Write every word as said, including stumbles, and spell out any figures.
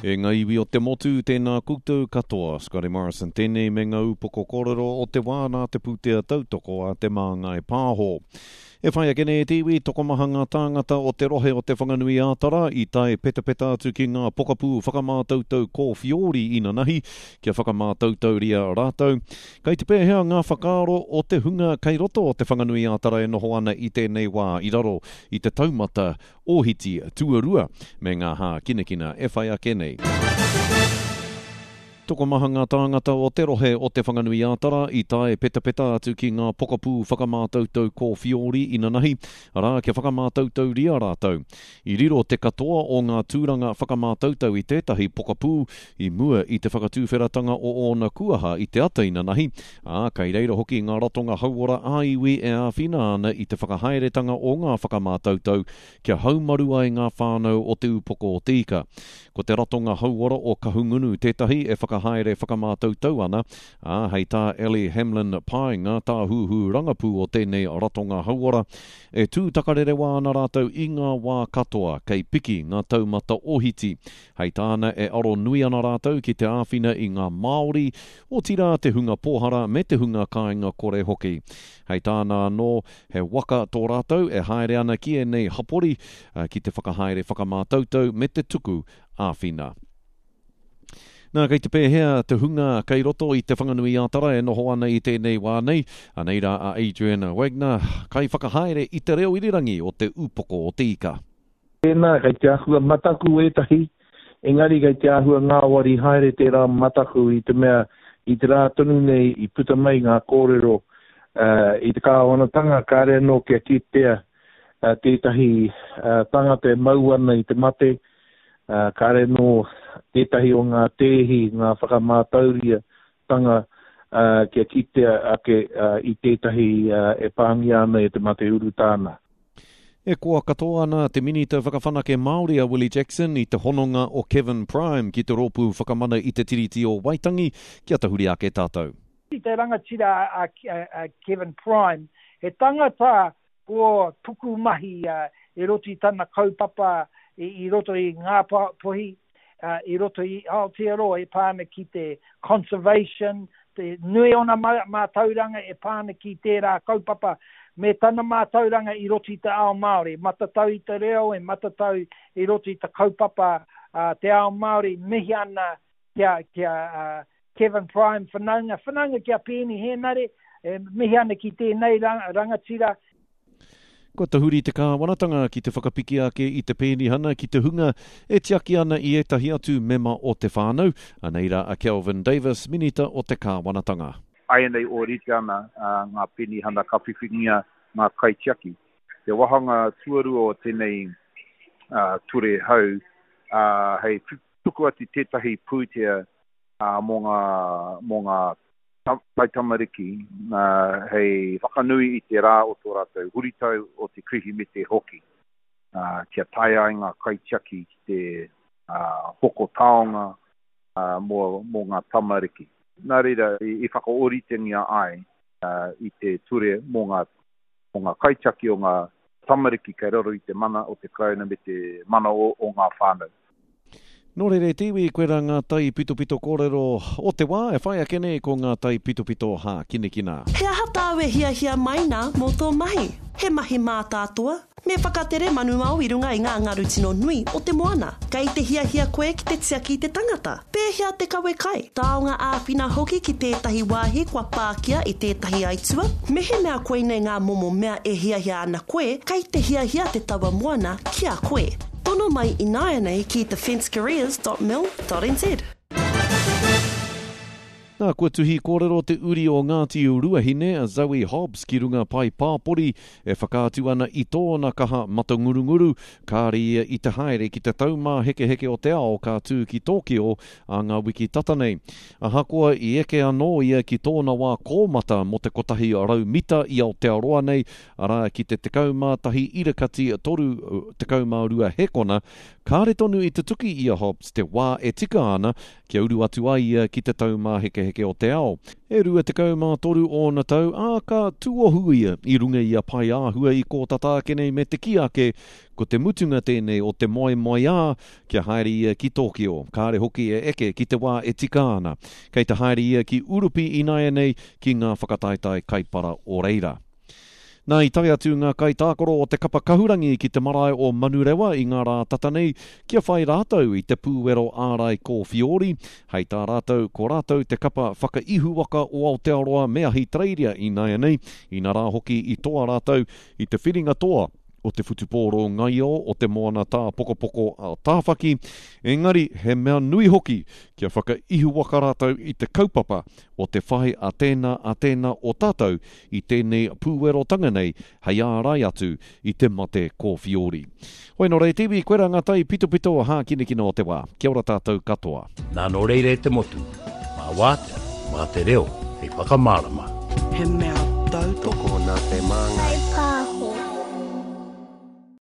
E ngā iwi o te motu, tēnā koutou katoa. Scotty Morrison tēnei me ngā upoko kōrero o te wā nā te pūtea tautoko a Te Māngai Pāho. E whai ake nei e te iwi, tokomaha ngā tāngata o te rohe o Te Whanganui-ā-Tara i tae petapeta atu ki ngā pokapū whakamātautau kōwhiori inanahi kia whakamātautauria rātou. Kei te pēhea ngā whakaaro o te hunga kei roto o Te Whanganui-ā-Tara e noho ana i tēnei wā i raro i te taumata ōhiti tuarua me ngā hākinakina e whai ake nei. Tokomaha ngā tāngata o te rohe o Te Whanganui-ā-Tara i tae petapeta atu ki ngā pokapū whakamātautau kōwhiori inanahi, arā, kia whakamātautauria rātou. I riro te katoa o ngā tūranga whakamātautau i tētahi pokapū i mua i te whakatuwheratanga o ōna kuaha i te ata inanahi, ā, kei reira hoki ngā ratonga hauora ā-iwi e āwhina ana i te whakahaeretanga o ngā whakamātautau kia haumaru ai ngā whānau o Te Upoko o Te Ika. Ko te ratonga hauora o Kahungunu tētahi e whakahaere whakamātautau ana, ā, hei tā Ellie Hamlin Paenga, tāhuhu rangapū o tēnei ratonga hauora, e tū takarerewa ana rātou i ngā wā katoa kei piki ngā taumata ohiti. Hei tāna e aro nui ana rātou ki te āwhina i ngā Māori, otirā te hunga pōhara me te hunga kāinga kore hoki. Hei tāna anō, he waka tō rātou e haere ana ki ēnei hapori ki te whakahaere whakamātautau me te tuku āwhina. Nā, kei te pēhea te hunga kei roto i Te Whanganui-ā-Tara e noho ana i tēnei wā nei? Anei rā a Adrian Wagner, kaiwhakahaere i te reo irirangi o Te Upoko o Te Ika. Tēnā, kei te āhua mataku ētahi, engari kei te āhua ngāwari haere tērā mataku i te mea i te rā tonu nei i puta mai ngā kōrero uh, i te kāwanatanga kāre anō kia kitea uh, tētahi uh, tangata e mau ana i te mate, uh, kāre anō tētahi o ngā tēhi, ngā whakamātauria tanga uh, kia kitea ake uh, i tētahi uh, e pāngia ana e te mate urutāna. E koa katoa ana te Minita Whakawhanake Māori a Willie Jackson i te hononga o Kevin Prime ki te rōpū whakamana i te Tiriti o Waitangi kia tahuri ake tātou. I te rangatira a, a, a Kevin Prime, he tangata ko pukumahi uh, i roto i tana kaupapa i, i roto i ngā pohi, uh, i roto i Aotearoa e pā ana ki te conservation, te nui ona mātauranga e pā ana ki tērā kaupapa, me tana mātauranga i roto i te ao Māori, matatau i te reo, e matatau i roto i te kaupapa uh, te ao Māori, mihi ana kia, kia uh, Kevin Prime whanaunga, whanaunga kia Peeni Henare, e mihi ana ki tēnei rangatira. Kua tahuri te kāwanatanga ki te whakapiki ake i te pēnihana ki te hunga e tiaki ana i ētahi atu mema o te whānau, anei rā a Kelvin Davis, Minita o te kāwanatanga. Āianei ōrite ana uh, ngā pēnihana ka whiwhingia ngā kaitiaki. Te wāhanga tuarua o tēnei uh, ture hau uh, hei tuku atu tētahi pūtea uh, mō ngā, mō ngā taitamariki uh, hei whakanui i te rā o tō rātou huritau o te Kirihimete hoki, uh, kia taea ai ngā kaitiaki ki te uh, hoko taonga uh, mō, mō ngā tamariki. Nā reira, i, i whakaoritengia ai uh, i te ture mō ngā, mō ngā kaitiaki o ngā tamariki kei raro i te mana o te Karauna me te mana o, o ngā whānau. Nō reira e te iwi, koirā ngā taipitopito kōrero o te wā e whai ake nei ko ngā taipitopito hākinakina. He aha tāu e hiahia mai nā mō tō mahi? He mahi mātātoa? Me whakatere manuao i runga i ngā ngaru tino nui o te moana. Kei te hiahia koe ki te tiaki i te tangata? Pēhea te kawe kai? Taonga āwhina hoki ki tētahi wāhi kua pākia i tētahi aitua? Mehemea koinei ngā momo mea e hiahia ana koe, kei te hiahia te taua moana ki a koe. Tono mai ināianei ki defence careers dot mil dot nz. Nā, kua tuhi kōrero te uri o Ngāti Ruahine, a Zoe Hobbs, ki runga pae pāpori e whakaatu ana i tōna kaha matangurunguru, kāre ia i te haere ki te taumāhekeheke o te ao ka tū ki Tōkio a ngā wiki tata nei. Ahakoa i eke anō ia ki tōna wā kōmata mō te kotahi rau mita i Aotearoa nei, arā ki te tekau mā tahi irakati toru tekau mā rua hekona, kāre tonu i te tuki i a Hobbs te wā e tika ana kia uru atu ai ia ki te taumāhekeheke Pākeheke o te Ao. E rua tekau mā toru ōna tau, ā, ka tuohu ia i runga i a Paeāhua i kō tata ake nei me te kī ake, ko te mutunga tēnei o te moemoeā kia haere ia ki Tōkio, kāre hoki e eke ki te wā e tika ana. Kei te haere ia ki Urupi ināianei ki ngā whakataetae kaipara o reira. Nā, i tae atu ngā kaitākaro o te kapa kahurangi ki te marae o Manurewa i ngā rā tata nei kia whai rātou i te pūwero ārai kōwhiori. Hei tā rātou, ko rātou te kapa whakaihuwaka o Aotearoa me Ahitereiria ināianei, inarā hoki i toa rātou i te whiringa toa o te whutupōro ngaio o te moana tāpokopoko a Tāwhaki, engari he mea nui hoki kia whakaihuwaka rātou i te kaupapa o te whai a tēnā a tēnā o tātou i tēnei pūwerotanga nei hei ārai atu i te mate kōwhiori. Hoi nō reira te iwi, koirā ngā tai pitopito hākinakina o te wā. Kia ora tātou katoa. Nā nō reira e te motu, mā wātea, mā te reo hei whakamārama. He mea tautoko. Tokona te māngai.